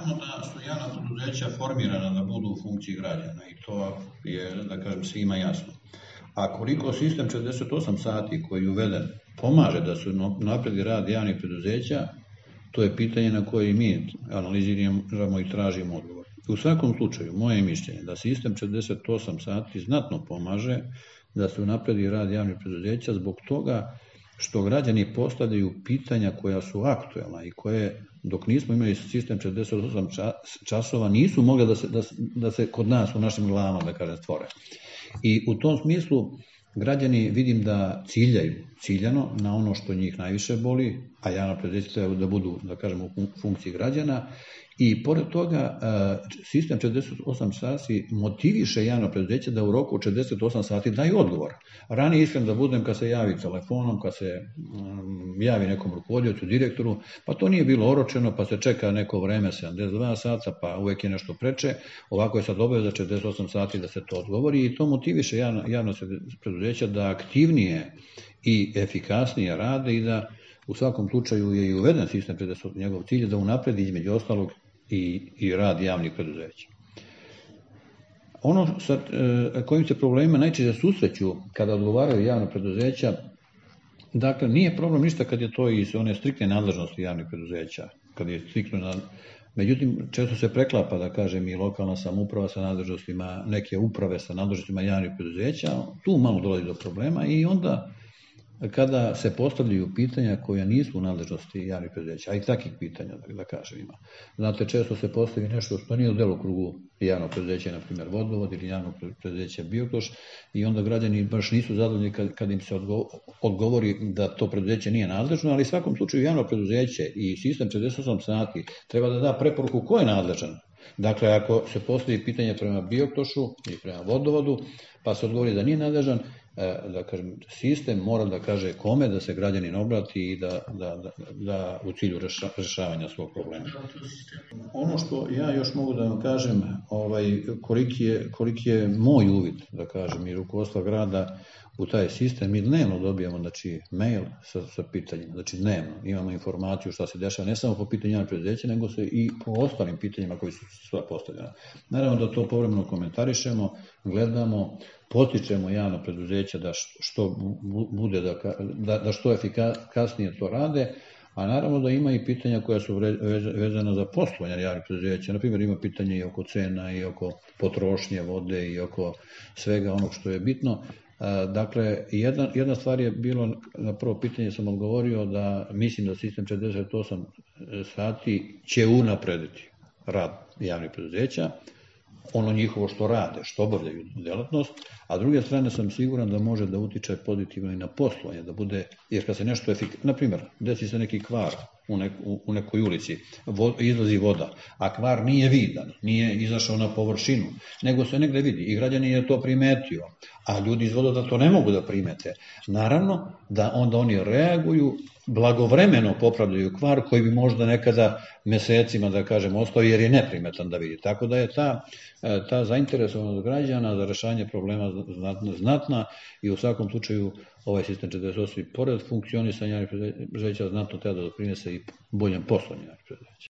kažemo da su javna preduzeća formirana da budu u funkciji građana i to je, da kažem, svima jasno. A koliko sistem 48 sati koji je uveden pomaže da se napredi rad javnih preduzeća, to je pitanje na koje mi analiziramo i tražimo odgovor. U svakom slučaju, moje mišljenje da sistem 48 sati znatno pomaže da se napredi rad javnih preduzeća zbog toga što građani postavljaju pitanja koja su aktuelna i koje, dok nismo imali sistem 48 časova, nisu mogle da se kod nas u našim glavama, da kažem, stvore. I u tom smislu građani vidim da ciljano na ono što njih najviše boli, a javna preduzeća treba da budu, da kažemo, u funkciji građana. I pored toga, sistem 48 sati motiviše javno preduzeće da u roku 48 sati daju odgovor. Ranije, iskren da budem, kad se javi telefonom, kad se javi nekom rukovodiocu, direktoru, pa to nije bilo oročeno, pa se čeka neko vreme, 72 sata, pa uvek je nešto preče. Ovako je sad obaveza 48 sati da se to odgovori i to motiviše javno preduzeća da aktivnije i efikasnije rade i da u svakom slučaju je i uveden sistem 48, njegov cilj je da unapredi između ostalog i rad javnih preduzeća. Ono sa kojim se problemima najčešće susreću kada odgovaraju javna preduzeća, dakle, nije problem ništa kad je to iz one striktne nadležnosti javnih preduzeća, kad je striktno međutim, često se preklapa, da kažem, i lokalna samouprava sa nadležnostima, neke uprave sa nadležnostima javnih preduzeća, tu malo dolazi do problema i onda kada se postavljaju pitanja koja nisu u nadležnosti javnih preduzeća, a i takvih pitanja, da kažem, ima. Znate, često se postavi nešto što nije u delokrugu javnog preduzeća, na primjer vodovod ili javnog preduzeća Biokoš, i onda građani baš nisu zadovoljni kad im se odgovori da to preduzeće nije nadležno, ali u svakom slučaju javno preduzeće i sistem 48 sati treba da da preporuku ko je nadležan. Dakle, ako se postavi pitanje prema Biokošu ili prema vodovodu, pa se odgovori da nije nadležan, da kažem, sistem mora da kaže kome da se građanin obrati i da u cilju rešavanja svog problema. Ono što ja još mogu da vam kažem, koliki je moj uvid, da kažem, i rukovodstva grada u taj sistem, mi dnevno dobijamo, znači, mail sa pitanjima, znači dnevno imamo informaciju šta se dešava, ne samo po pitanju javnih preduzeća, nego se i po ostalim pitanjima koji su sva postavljena. Naravno da to povremeno komentarišemo, gledamo, potičemo javno preduzeća da što bude, da što efikasnije to rade, a naravno da ima i pitanja koja su vezana za poslovanje javnih preduzeća. Naprimjer, ima pitanje i oko cena, i oko potrošnje vode, i oko svega onog što je bitno. Dakle, jedna stvar je bilo, na prvo pitanje sam odgovorio da mislim da sistem 48 sati će unaprediti rad javnih preduzeća, ono njihovo što rade, što obavljaju delatnost, a s druge strane sam siguran da može da utiče pozitivno i na poslovanje, da bude, jer kad se nešto na primjer, desi se neki kvar u nekoj ulici, izlazi voda, a kvar nije vidan, nije izašao na površinu, nego se negde vidi i građanin je to primetio, a ljudi iz vodovoda to ne mogu da primete. Naravno da onda oni reaguju, blagovremeno popravljaju kvar koji bi možda nekada mesecima, da kažem, ostao jer je neprimetan da vidi. Tako da je ta zainteresovanost građana za rešanje problema znatna i u svakom slučaju ovaj sistem 48 pored funkcionisanja javnih preduzeća znatno treba da doprinese i boljem poslovanju javnih preduzeća.